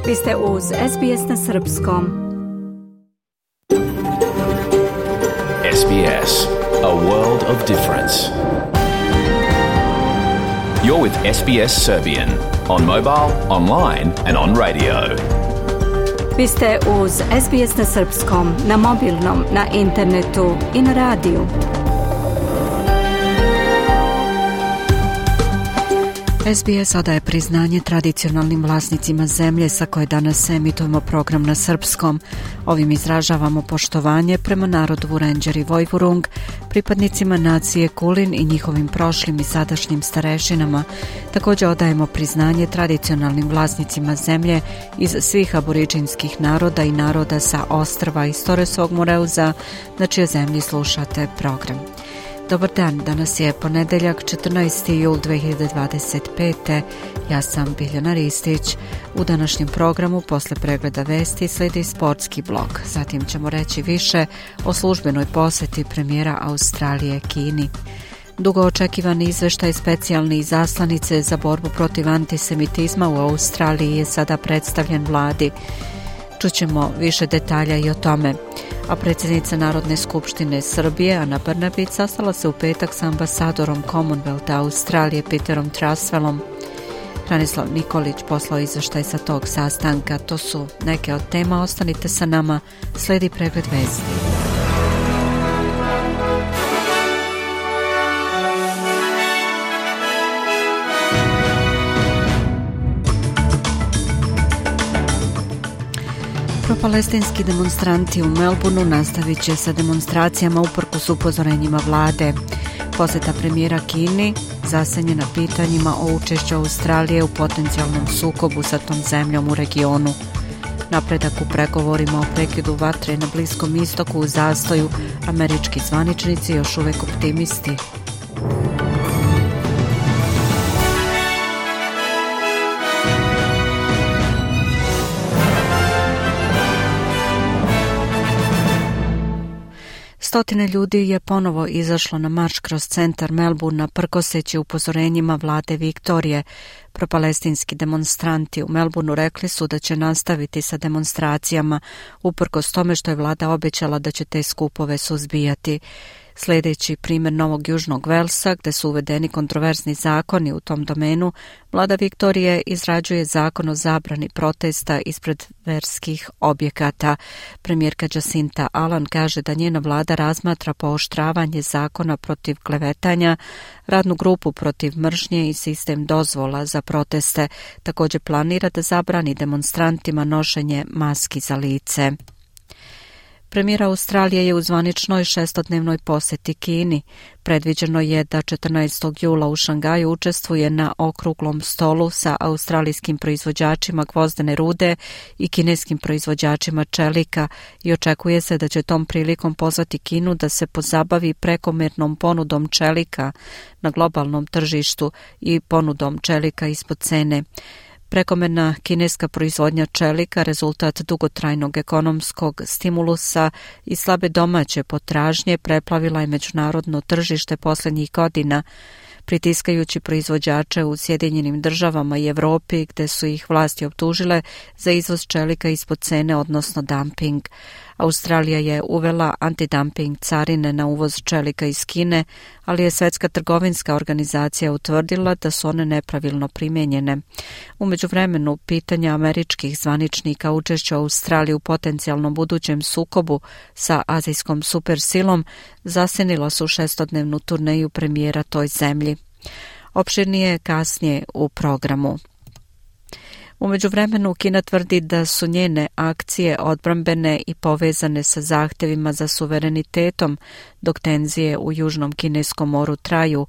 Vi ste uz SBS na Srpskom. SBS, a world of difference. You're with SBS Serbian on mobile, online and on radio. Vi ste uz SBS na Srpskom, na mobilnom, na internetu i na radiju. SBS odaje priznanje tradicionalnim vlasnicima zemlje sa koje danas emitujemo program na srpskom. Ovim izražavamo poštovanje prema narodu Vurenđer i Vojvurung, pripadnicima nacije Kulin i njihovim prošlim i sadašnjim starešinama. Također odajemo priznanje tradicionalnim vlasnicima zemlje iz svih aboriđinskih naroda i naroda sa ostrva iz Toresovog Moreuza, na čijoj zemlji slušate program. Dobar dan, danas je ponedeljak 14. jul 2025. Ja sam Biljana Ristić. U današnjem programu posle pregleda vesti slijedi sportski blog. Zatim ćemo reći više o službenoj posjeti premijera Australije Kini. Dugo očekivani izveštaj specijalne izaslanice za borbu protiv antisemitizma u Australiji je sada predstavljen vladi. Čućemo više detalja i o tome. A predsjednica Narodne skupštine Srbije, Ana Brnabić, sastala se u petak s ambasadorom Commonwealtha Australije Peterom Trasvelom. Hranislav Nikolić poslao izveštaj sa tog sastanka. To su neke od tema. Ostanite sa nama, slijedi pregled vesti. Propalestinski demonstranti u Melbourneu nastavit će sa demonstracijama uprkos upozorenjima vlade. Posjeta premijera Kini zasenjena pitanjima o učešću Australije u potencijalnom sukobu sa tom zemljom u regionu. Napredak u pregovorima o prekidu vatre na Bliskom istoku u zastoju, američki zvaničnici još uvijek optimisti. Stotine ljudi je ponovo izašlo na marš kroz centar Melbournea prkoseći upozorenjima vlade Viktorije. Propalestinski demonstranti u Melbourneu rekli su da će nastaviti sa demonstracijama uprkos tome što je vlada obećala da će te skupove suzbijati. Sljedeći primjer Novog Južnog Velsa, gdje su uvedeni kontroverzni zakoni u tom domenu, vlada Viktorije izrađuje zakon o zabrani protesta ispred verskih objekata. Premijerka Jacinta Allan kaže da njena vlada razmatra pooštravanje zakona protiv klevetanja, radnu grupu protiv mržnje i sistem dozvola za proteste. Također planira da zabrani demonstrantima nošenje maski za lice. Premijer Australije je u zvaničnoj šestodnevnoj posjeti Kini. Predviđeno je da 14. jula u Šangaju učestvuje na okruglom stolu sa australijskim proizvođačima gvozdene rude i kineskim proizvođačima čelika i očekuje se da će tom prilikom pozvati Kinu da se pozabavi prekomjernom ponudom čelika na globalnom tržištu i ponudom čelika ispod cene. Prekomerna kineska proizvodnja čelika rezultat dugotrajnog ekonomskog stimulusa i slabe domaće potražnje preplavila je međunarodno tržište posljednjih godina, pritiskajući proizvođače u Sjedinjenim Državama i Europi, gdje su ih vlasti optužile za izvoz čelika ispod cene, odnosno dumping. Australija je uvela antidumping carine na uvoz čelika iz Kine, ali je Svjetska trgovinska organizacija utvrdila da su one nepravilno primijenjene. U međuvremenu, pitanja američkih zvaničnika učešća Australije u potencijalnom budućem sukobu sa azijskom supersilom zasjenila su šestodnevnu turneju premijera toj zemlji. Opširnije kasnije u programu. U međuvremenu Kina tvrdi da su njene akcije odbrambene i povezane sa zahtjevima za suverenitetom, dok tenzije u Južnom Kineskom moru traju.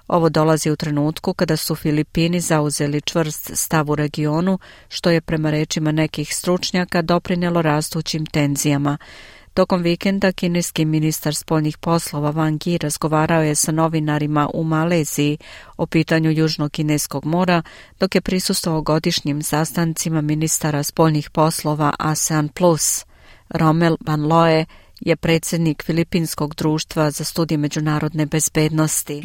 Ovo dolazi u trenutku kada su Filipini zauzeli čvrst stav u regionu, što je prema rečima nekih stručnjaka doprinijelo rastućim tenzijama. Tokom vikenda kineski ministar spoljnih poslova Wang Yi razgovarao je sa novinarima u Maleziji o pitanju Južnog Kineskog mora, dok je prisustvovao godišnjim sastancima ministara spoljnih poslova ASEAN+. Romel Van Loe je predsjednik Filipinskog društva za studije međunarodne bezbednosti.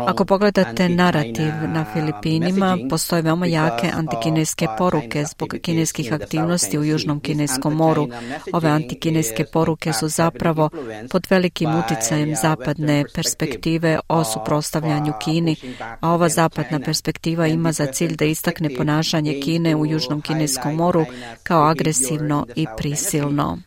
Ako pogledate narativ na Filipinima, postoje veoma jake antikineske poruke zbog kineskih aktivnosti u Južnom Kineskom moru. Ove antikineske poruke su zapravo pod velikim uticajem zapadne perspektive o suprotstavljanju Kini, a ova zapadna perspektiva ima za cilj da istakne ponašanje Kine u Južnom Kineskom moru kao agresivno i prisilno.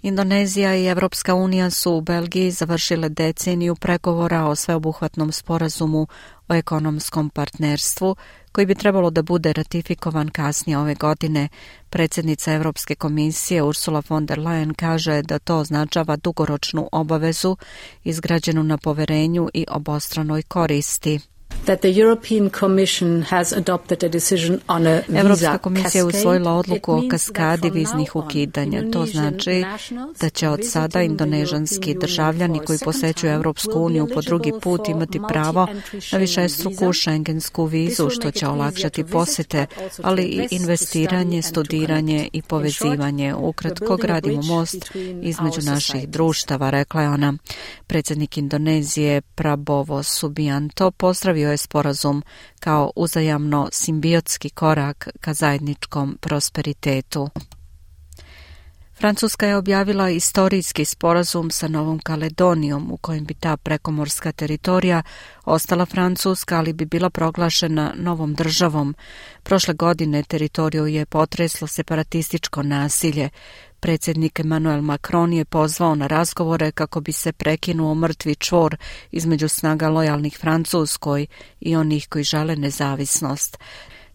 Indonezija i Evropska unija su u Belgiji završile deceniju pregovora o sveobuhvatnom sporazumu o ekonomskom partnerstvu, koji bi trebalo da bude ratifikovan kasnije ove godine. Predsjednica Evropske komisije Ursula von der Leyen kaže da to označava dugoročnu obavezu izgrađenu na poverenju i obostranoj koristi. Evropska komisija je usvojila odluku o kaskadi viznih ukidanja. To znači da će od sada indonežanski državljani koji posećuju Evropsku uniju po drugi put imati pravo na višestruku šengensku vizu, što će olakšati posete, ali i investiranje, studiranje i povezivanje. Ukratko, gradimo most između naših društava, rekla je ona. Predsjednik Indonezije Prabowo Subianto pozdravio je sporazum kao uzajamno simbiotski korak ka zajedničkom prosperitetu. Francuska je objavila istorijski sporazum sa Novom Kaledonijom u kojem bi ta prekomorska teritorija ostala francuska, ali bi bila proglašena novom državom. Prošle godine teritoriju je potreslo separatističko nasilje. Predsjednik Emmanuel Macron je pozvao na razgovore kako bi se prekinuo mrtvi čvor između snaga lojalnih Francuskoj i onih koji žele nezavisnost.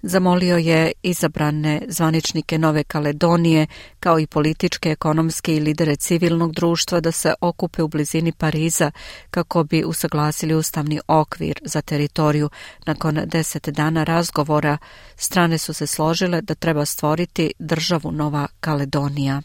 Zamolio je izabrane zvaničnike Nove Kaledonije, kao i političke, ekonomske i lidere civilnog društva da se okupe u blizini Pariza kako bi usaglasili ustavni okvir za teritoriju. Nakon 10 dana razgovora, strane su se složile da treba stvoriti državu Nova Kaledonija.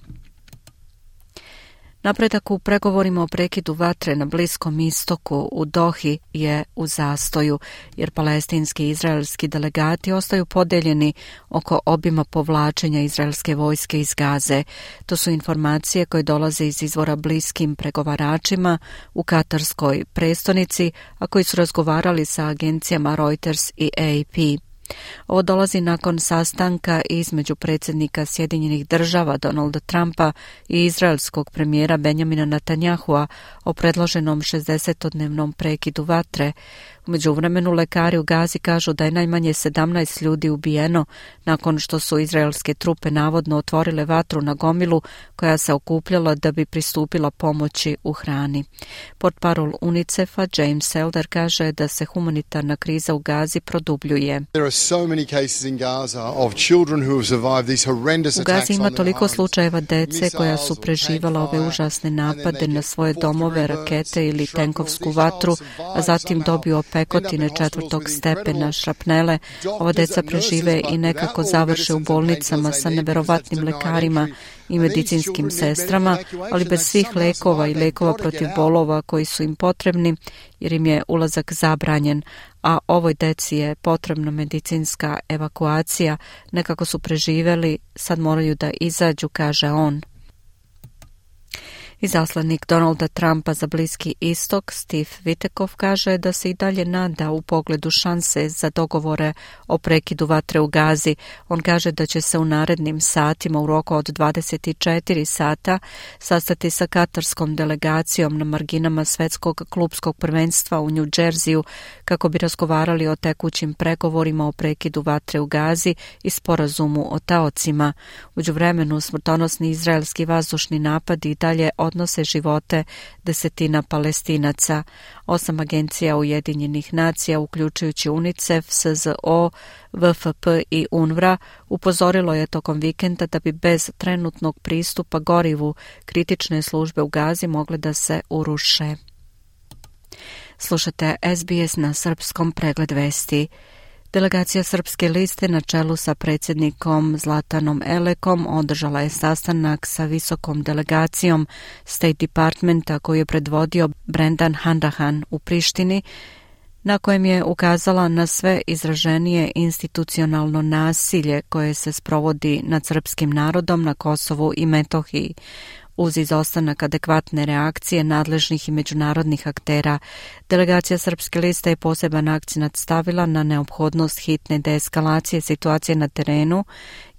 Napredak u pregovorima o prekidu vatre na Bliskom istoku u Dohi je u zastoju, jer palestinski i izraelski delegati ostaju podeljeni oko obima povlačenja izraelske vojske iz Gaze. To su informacije koje dolaze iz izvora bliskim pregovaračima u katarskoj prestonici, a koji su razgovarali sa agencijama Reuters i AP. Ovo dolazi nakon sastanka između predsjednika Sjedinjenih Država Donalda Trumpa i izraelskog premijera Benjamina Netanyahua o predloženom 60-dnevnom prekidu vatre. U međuvremenu lekari u Gazi kažu da je najmanje 17 ljudi ubijeno nakon što su izraelske trupe navodno otvorile vatru na gomilu koja se okupljala da bi pristupila pomoći u hrani. Portparol UNICEF-a James Elder kaže da se humanitarna kriza u Gazi produbljuje. U Gazi ima toliko slučajeva dece koja su preživala ove užasne napade na svoje domove, rakete ili tenkovsku vatru, a zatim dobiju opekotine 4. stepena, šrapnele. Ova deca prežive i nekako završe u bolnicama sa neverovatnim lekarima i medicinskim sestrama, ali bez svih lekova i lekova protiv bolova koji su im potrebni, jer im je ulazak zabranjen, a ovoj deci je potrebna medicinska evakuacija. Nekako su preživeli, sad moraju da izađu, kaže on. Izaslanik Donalda Trumpa za Bliski istok Steve Witkoff kaže da se i dalje nada u pogledu šanse za dogovore o prekidu vatre u Gazi. On kaže da će se u narednim satima u roku od 24 sata sastati sa katarskom delegacijom na marginama svetskog klupskog prvenstva u New Jerseyu kako bi razgovarali o tekućim pregovorima o prekidu vatre u Gazi i sporazumu o taocima. Uđuvremenu smrtonosni izraelski vazdušni napadi i dalje odnose živote desetina Palestinaca. 8 agencija Ujedinjenih nacija, uključujući UNICEF, SZO, VFP i UNRWA, upozorilo je tokom vikenda da bi bez trenutnog pristupa gorivu kritične službe u Gazi mogle da se uruše. Slušate SBS na srpskom, pregled vesti. Delegacija Srpske liste na čelu sa predsjednikom Zlatanom Elekom održala je sastanak sa visokom delegacijom State Departmenta koju je predvodio Brendan Hanrahan u Prištini, na kojem je ukazala na sve izraženije institucionalno nasilje koje se sprovodi nad srpskim narodom na Kosovu i Metohiji. Uz izostanak adekvatne reakcije nadležnih i međunarodnih aktera, delegacija Srpske liste je poseban akcenat stavila na neophodnost hitne deeskalacije situacije na terenu,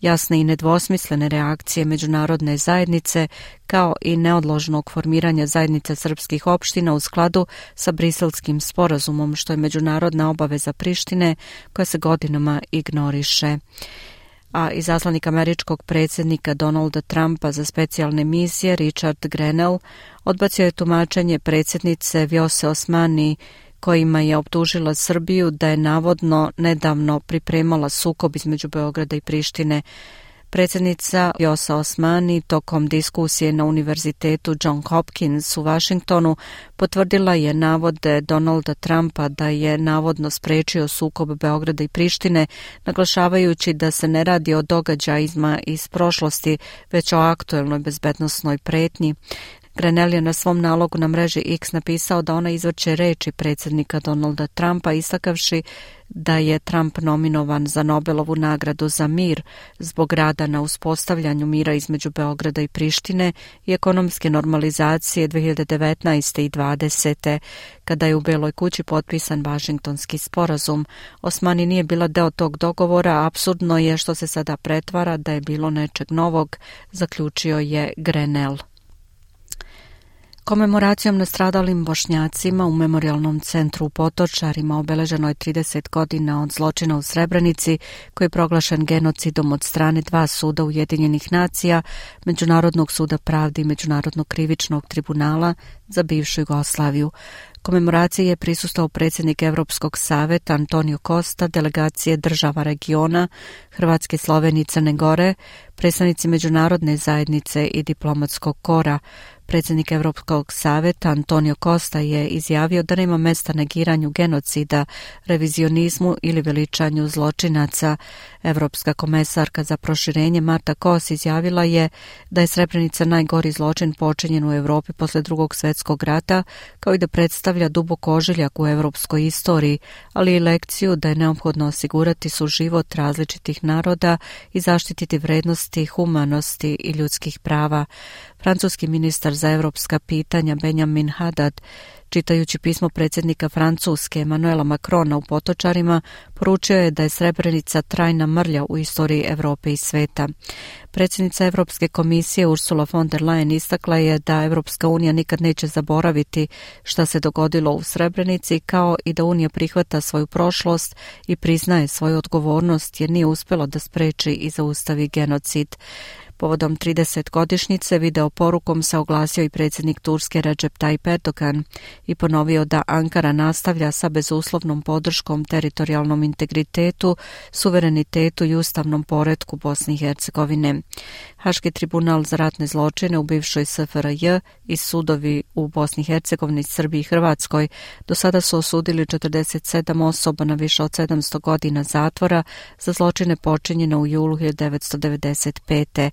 jasne i nedvosmislene reakcije međunarodne zajednice, kao i neodložnog formiranja zajednice srpskih opština u skladu sa Briselskim sporazumom, što je međunarodna obaveza Prištine koja se godinama ignoriše. A izaslanik američkog predsjednika Donalda Trumpa za specijalne misije Richard Grenell odbacio je tumačenje predsjednice Vjose Osmani kojima je optužila Srbiju da je navodno nedavno pripremala sukob između Beograda i Prištine. Predsjednica Vjosa Osmani tokom diskusije na Univerzitetu John Hopkins u Vašingtonu potvrdila je navode Donalda Trumpa da je navodno sprečio sukob Beograda i Prištine, naglašavajući da se ne radi o događajima iz prošlosti, već o aktuelnoj bezbednosnoj pretnji. Grenell je na svom nalogu na mreži X napisao da ona izvrće reči predsjednika Donalda Trumpa, istakavši da je Trump nominovan za Nobelovu nagradu za mir zbog rada na uspostavljanju mira između Beograda i Prištine i ekonomske normalizacije 2019. i 2020. kada je u Beloj kući potpisan Vašingtonski sporazum. Osmani nije bila deo tog dogovora, apsurdno je što se sada pretvara da je bilo nečeg novog, zaključio je Grenell. Komemoracijom nastradalim Bošnjacima u Memorijalnom centru u Potočarima obeleženo je 30 godina od zločina u Srebrenici, koji je proglašen genocidom od strane dva suda Ujedinjenih nacija, Međunarodnog suda pravde i Međunarodnog krivičnog tribunala za bivšu Jugoslaviju. Komemoraciji je prisustvovao predsjednik Evropskog saveta Antonio Costa, delegacije država regiona, Hrvatske, Slovenije i Crne Gore, predstavnici međunarodne zajednice i diplomatskog kora. Predsjednik Evropskog saveta Antonio Costa je izjavio da nema mesta negiranju genocida, revizionizmu ili veličanju zločinaca. Evropska komesarka za proširenje Marta Kos izjavila je da je Srebrenica najgori zločin počinjen u Europi posle Drugog svjetskog rata, kao i da predstavlja dubok ožiljak u europskoj istoriji, ali i lekciju da je neophodno osigurati suživot različitih naroda i zaštititi vrednosti, humanosti i ljudskih prava. Francuski ministar za europska pitanja Benjamin Haddad, čitajući pismo predsjednika Francuske Emmanuela Macrona u Potočarima, poručio je da je Srebrenica trajna mrlja u istoriji Europe i sveta. Predsjednica Europske komisije Ursula von der Leyen istakla je da Europska unija nikad neće zaboraviti šta se dogodilo u Srebrenici, kao i da Unija prihvata svoju prošlost i priznaje svoju odgovornost jer nije uspjelo da spreči i zaustavi genocid. Povodom 30-godišnjice video porukom se oglasio i predsjednik Turske Recep Tayyip Erdogan i ponovio da Ankara nastavlja sa bezuslovnom podrškom teritorijalnom integritetu, suverenitetu i ustavnom poretku Bosne i Hercegovine. Haški tribunal za ratne zločine u bivšoj SFRJ i sudovi u Bosni i Hercegovini, Srbiji i Hrvatskoj do sada su osudili 47 osoba na više od 700 godina zatvora za zločine počinjene u julu 1995.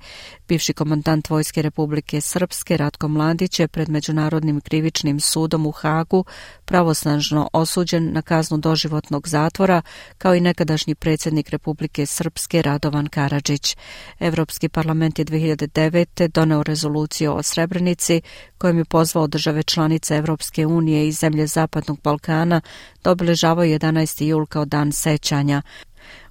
Bivši komandant Vojske Republike Srpske Ratko Mladić je pred Međunarodnim krivičnim sudom u Hagu pravosnažno osuđen na kaznu doživotnog zatvora, kao i nekadašnji predsjednik Republike Srpske Radovan Karadžić. Evropski parlament je 2009. doneo rezoluciju o Srebrenici kojom je pozvao države članice Evropske unije i zemlje Zapadnog Balkana da obilježavaju 11. jul kao dan sećanja.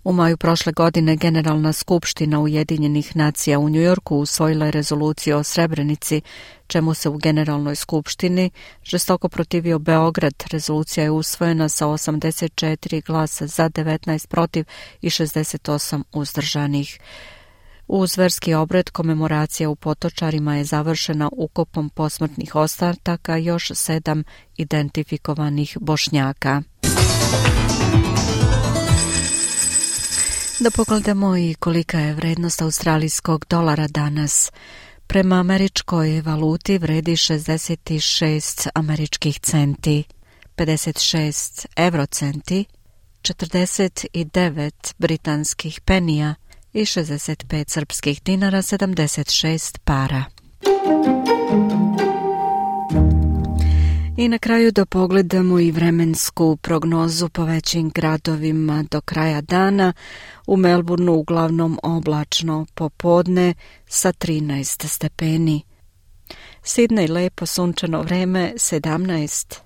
U maju prošle godine Generalna skupština Ujedinjenih nacija u Njujorku usvojila je rezoluciju o Srebrenici, čemu se u Generalnoj skupštini žestoko protivio Beograd. Rezolucija je usvojena sa 84 glasa za, 19 protiv i 68 uzdržanih. Uz verski obred komemoracija u Potočarima je završena ukopom posmrtnih ostataka još 7 identifikovanih Bošnjaka. Da pogledamo i kolika je vrednost australijskog dolara danas. Prema američkoj valuti vredi 66 američkih centi, 56 eurocenti, 49 britanskih penija i 65 srpskih dinara, 76 para. I na kraju da pogledamo i vremensku prognozu po većim gradovima do kraja dana. U Melbourneu uglavnom oblačno popodne sa 13 stepeni. Sydney lepo sunčano vreme 17.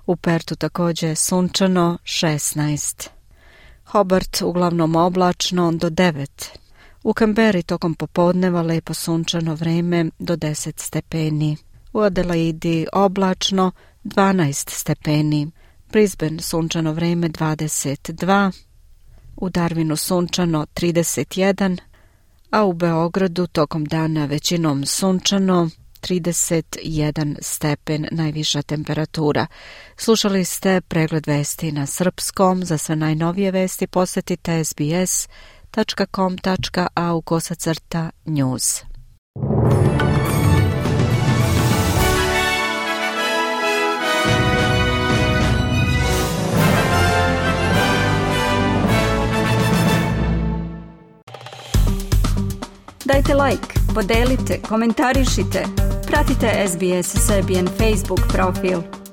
U Pertu također sunčano 16. Hobart uglavnom oblačno do 9. U Canberri tokom popodneva lepo sunčano vreme do 10 stepeni. U Adelaidi oblačno 12 stepeni. Brisbane sunčano vreme 22. U Darwinu sunčano 31. A u Beogradu tokom dana većinom sunčano 31 stepen najviša temperatura. Slušali ste pregled vesti na srpskom. Za sve najnovije vesti posjetite sbs.com.au/news. Dajte like, podelite, komentarišite. Pratite SBS Serbian Facebook profil.